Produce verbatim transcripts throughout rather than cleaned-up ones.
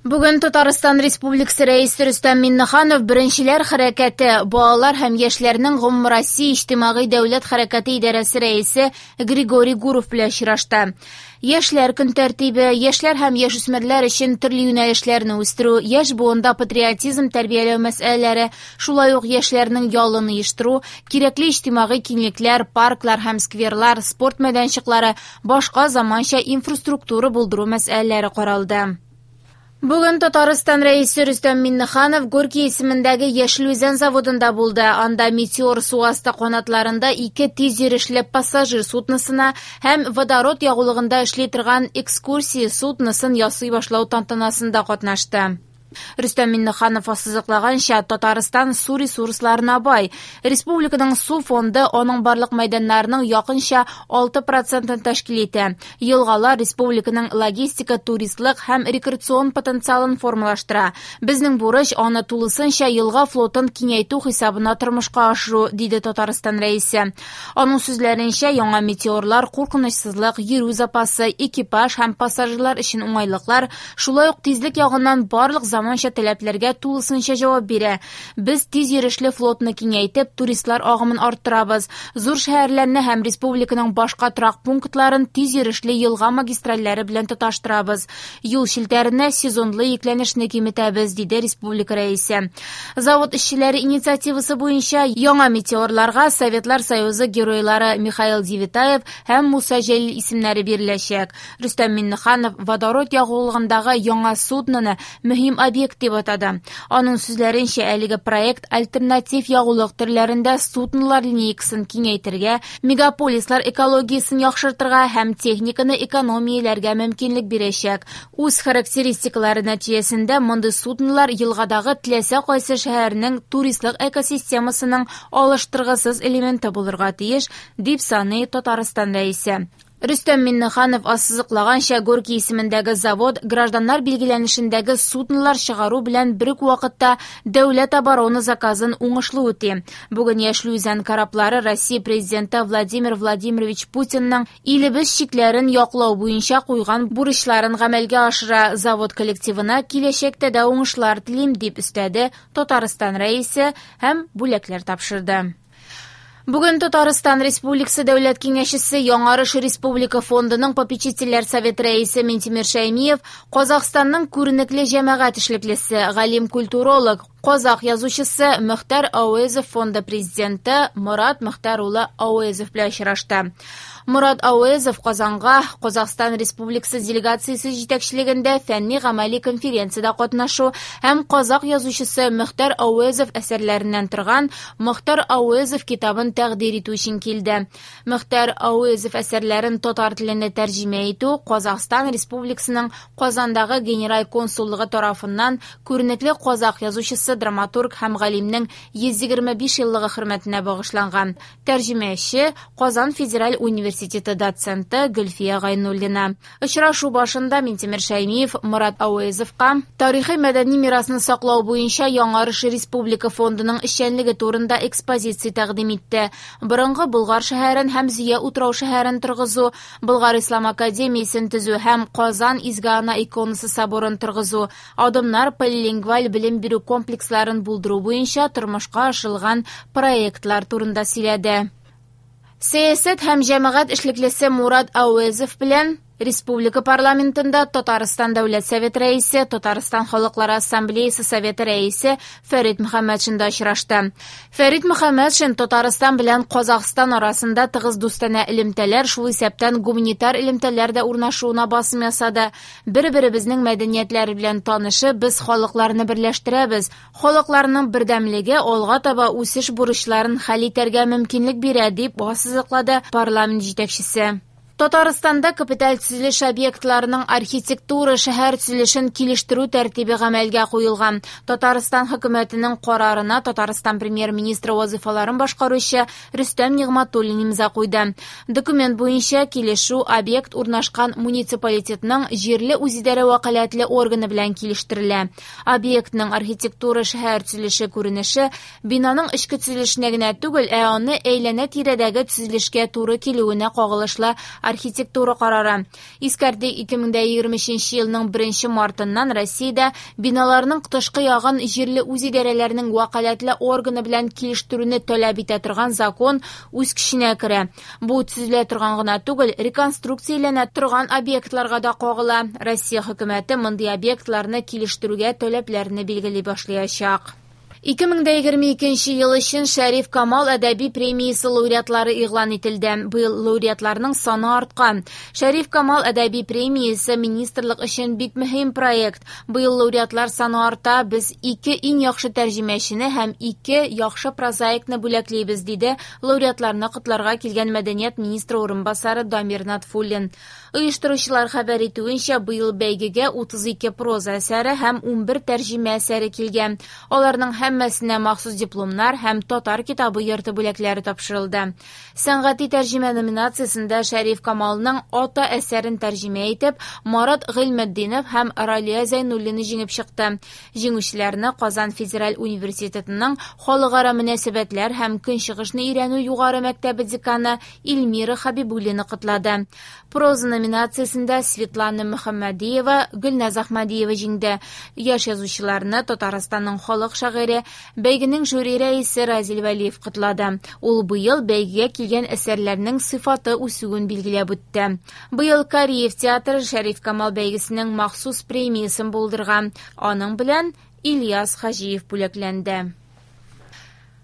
Бүген Татарстан Республикасы Рәисе Рөстәм Миңнеханов Беренчеләр хәрәкәте, балалар һәм яшьләрнең гомумроссия иҗтимагый дәүләт хәрәкәте идарәсе рәисе Григорий Гуров белән очрашты. Яшьләр көн тәртибе, яшьләр һәм яшүсмерләр өчен төрле юнәлешләрне үстерү, яшь буында патриотизм тәрбияләү мәсьәләләре, шулай ук яшьләрнең ялын оештыру, кирәкле иҗтимагый киңлекләр, парклар һәм скверлар, спорт мәйданчыклары, башка заманча инфраструктура булдыру мәсьәләләре каралды. Бүген Татарстан Рәисе Рөстәм Миңнеханов Горький исемендәге Яшел Үзән заводында булды. Анда Метеор су асты канатларында ике тиз йөрешле пассажир судносына һәм водород ягулыгында эшли торган экскурсия судносын ясый башлау тантанасында катнашты. Рөстәм Миңнеханов ассызыклаганча, Татарстан су ресурсларына бай. Республиканың су фонды аның барлык мәйданнарының якынча алты процентын тәшкил итә. Елгалар республиканың логистика, туристлык һәм рекреацион потенциалын формалаштыра. Безнең бурыч аны тулысынча елга флотын киңәйтү хисабына тормышка ашыру, диде Татарстан рәисе. Аның сүзләренчә, яңа метеорлар куркынычсызлык, йөрү запасы, экипаж һәм пассажирлар өчен уңайлыклар, шулай ук тизлек ягыннан барлык заман таләпләргә тулысынча җавап бирә. Без тиз йөрешле флотны киңәйтеп, туристлар агымын арттырабыз. Зур шәһәрләрне һәм республиканың башка торак пунктларын тиз йөрешле елга магистральләре белән тоташтырабыз. Юл челтәренә сезонлы йөкләнешне киметәбез, диде республика рәисе. Завод эшчеләре инициативасы буенча яңа метеорларга Советлар Союзы геройлары Михаил Девятаев һәм Муса Җәлил исемнәре биреләчәк. Рөстәм Миңнеханов водород ягулыгындагы яңа судноны мөһим объект дип атады. Аның сүзләренчә, әлеге проект альтернатив ягулык төрләрендә суднолар линейкасын киңәйтергә, мегаполислар экологиясен яхшыртырга һәм техниканы экономияләргә мөмкинлек бирәчәк. Үз характеристикалары нәтиҗәсендә мондый суднолар елгадагы теләсә кайсы шәһәрнең туристлык экосистемасының алыштыргысыз элементы булырга тиеш, дип саный Татарстан рәисе. Рөстәм Миңнеханов ассызыклаганча, Горький исемендәге завод гражданнар билгеләнешендәге суднолар чыгару белән бер үк вакытта дәүләт оборона заказын уңышлы үти. Бүген Яшел Үзән кораблары Россия президенты Владимир Владимирович Путинның илебез чикләрен яклау буенча куйган бурычларын гамәлгә ашыра. Завод коллективына киләчәктә дә уңышлар телим, дип өстәде Татарстан рәисе һәм бүләкләр тапшырды. Бүген Татарстан Республикасы Дәүләт Киңәшчесе Яңарыш Республика фондының попечительләр советы рәисе Минтимер Шәймиев Казахстанның күренекле җәмәгать эшлеклесе, галим-культуролог, казах язучысы Мөхтәр Ауэзов фонды президенты Морат Мөхтәр улы Ауэзов белән очрашты. Морат Ауэзов Казанга Казахстан Республикасы делегациясе җитәкчелегендә фәнни-гамәли конференциядә катнашу һәм казах язучысы Мөхтәр Ауэзов әсәрләреннән торган Мөхтәр Ауэзов китабын тәкъдир итү өчен килде. Мөхтәр Ауэзов әсәрләрен татар теленә тәрҗемә итү Казахстан Республикасының Казандагы генераль консуллыгы тарафыннан күренекле казах язучысы, драматург һәм галимнең йөз егерме биш еллыгы хөрмәтенә багышланган. Тәрҗемәче Казан федераль университеты доценты Гөлфия Гайнуллина. Очрашу башында Минтимер Шәймиев Морат Ауэзовка тарихи мәдәни мирасны саклау буенча Яңарыш Республика фондының эшчәнлеге турында экспозиция тәкъдим итте. Борынгы Болгар шәһәрен һәм Зөя утрау шәһәрен торгызу, Болгар Ислам академиясен төзү һәм Казан Изге Ана иконасы соборын торгызу, адымнар полилингваль белем бирү комплексларын булдыру буенча тормышка ашырылган проектлар турында сөйләде. Сәясәт һәм җәмәгать эшлеклесе Мурат Ауэзов белән Республика парламентында Татарстан Дәүләт Советы рәисе, Татарстан Халыклары Ассамблеясы Советы рәисе Фәрит Мөхәммәтшин дә очрашты. Фәрит Мөхәммәтшин Татарстан белән Казахстан арасында тыгыз дустанә элемтәләр, шул исәптән гуманитар элемтәләр дә урнашуына басым ясады. Бер-беребезнең мәдәниятләре белән танышып, без халыкларны берләштерәбез. Халыкларның бердәмлеге алга таба үсеш бурычларын хәл итәргә мөмкинлек бирә, дип ассызыклады парламент җитәкчесе. Татарстанда капиталь төзелеш объектларының архитектура шәһәр төзелешен килештерү тәртибе гамәлгә куелган. Татарстан хөкүмәтенең карарына Татарстан премьер-министры вазифаларын башкаручы Рөстәм Нигъмәтуллин имза куйды. Документ буенча килешү объект урнашкан муниципалитетның җирле үзидарә вәкаләтле органы белән килештерелә. Объектның архитектура шәһәр төзелеше күренеше бинаның эчке төзелешенә генә түгел, ә аны әйләнә-тирәдәге төзелешкә туры килүенә кагылышлы архитектура карары. Искәртик, ике мең дә егерме өченче елның беренче мартыннан Россиядә биналарның тышкы ягын җирле үзидарәләрнең вәкаләтле органы белән килештерүне таләп итә торган закон үз көченә керә. Бу төзелә торган гына түгел, реконструкцияләнә торган объектларга да кагыла. Россия хөкүмәте мондый объектларны килештерүгә таләпләрне билгели башлаячак. Ике мең дә егерме икенче ел өчен Шәриф Камал әдәби премиясе лауреатлары игълан ителде. Быел лауреатларның саны арткан. Шәриф Камал әдәби премиясе министрлык өчен бик мөһим проект. Быел лауреатлар саны арта. Без ике иң яхшы тәрҗемәчене һәм ике яхшы прозаикны бүләклибез, диде лауреатларны котларга килгән мәдәният министры урынбасары Дамир Натфуллин. Оештыручылар хәбәр итүенчә, быел бәйгегә утыз ике проза әсәре һәм унбер тәрҗемә әсәре килгән. Аларның һәммәсенә махсус дипломнар һәм татар китабы йорты бүләкләре тапшырылды. Сәнгати тәрҗемә номинациясендә Шәриф Камалның Ата әсәрен тәрҗемә итеп, Марат Гыйльметдинов һәм Ралия Зәйнуллина җиңеп чыкты. Җиңүчеләрне Казан федераль университетының халыкара мөнәсәбәтләр һәм көнчыгышны өйрәнү югары мәктәбе деканы Эльмира Хабибуллина котлады. Проза номинациясендә Светлана Мөхәммәдиева, Гөлназ Әхмәдиева җиңде. Яшь язучыларны Татарстанның халык шагыйре, бәйгенең жюри рәисе Разил Вәлиев котлады. Ул быел бәйгегә килгән әсәрләрнең сыйфаты үсүен билгеләп үтте. Быел Кариев театры Шәриф Камал бәйгесенең махсус премиясен булдырган. Аның белән Ильяс Хаҗиев бүләкләнде.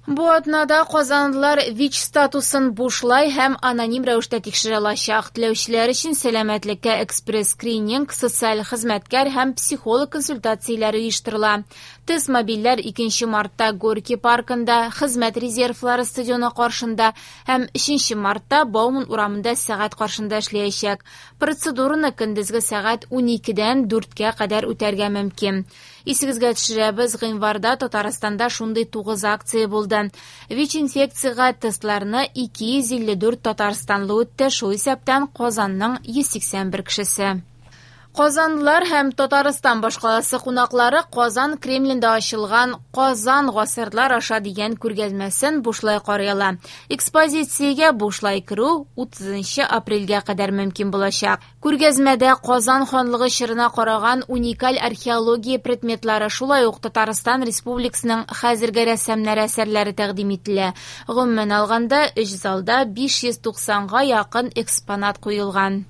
Бу атнада казанлылар ВИЧ статусын бушлай һәм аноним рәвештә тикшерә алачак. Теләүчеләр өчен сәламәтлеккә экспресс-скрининг, социаль хезмәткәр һәм психолог консультацияләре оештырыла. Тест мобильләр икенче мартта Горький паркында, Хезмәт резервлары стадионы каршында һәм өченче мартта Бауман урамында сәгать каршында эшләячәк. Процедураны көндезге сәгать уникедән дүрткә кадәр үтәргә мөмкин. Исегезгә төшерәбез, гыйнварда Татарстанда шундый тугыз акция булды. ВИЧ-инфекциягә тестларны ике йөз илле дүрт татарстанлы үтте, шул исәптән Казанның йөз сиксән бер кешесе. Казанлылар һәм Татарстан башкаласы кунаклары Казан Кремлендә ачылган Казан гасырлар аша дигән күргәзмәсен бушлай карый ала. Экспозициягә бушлай керү утызынчы апрельгә кадәр мөмкин булачак. Күргәзмәдә Казан ханлыгы чорына караган уникаль археология предметлары, шулай ук Татарстан Республикасының хәзерге рәссамнары әсәрләре тәкъдим ителә. Гомумән алганда, өч залда биш йөз туксанга якын экспонат куелган.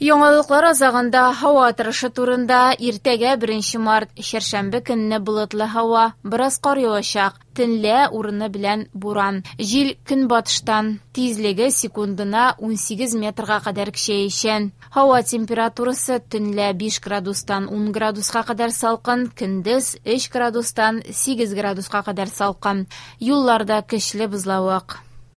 Яңалыклар азагында һава торышы турында. Иртәгә беренче март, чәршәмбе көнне болытлы һава, бераз кар явачак, төнлә урыны белән буран. Җил көнбатыштан, тизлеге секундына унсигез метрга кадәр көчәячәк. Һава температурасы төнлә биш градустан ун градуска кадәр салкын, көндез өч градустан сигез градуска кадәр салкын. Юлларда көчле бозлавык.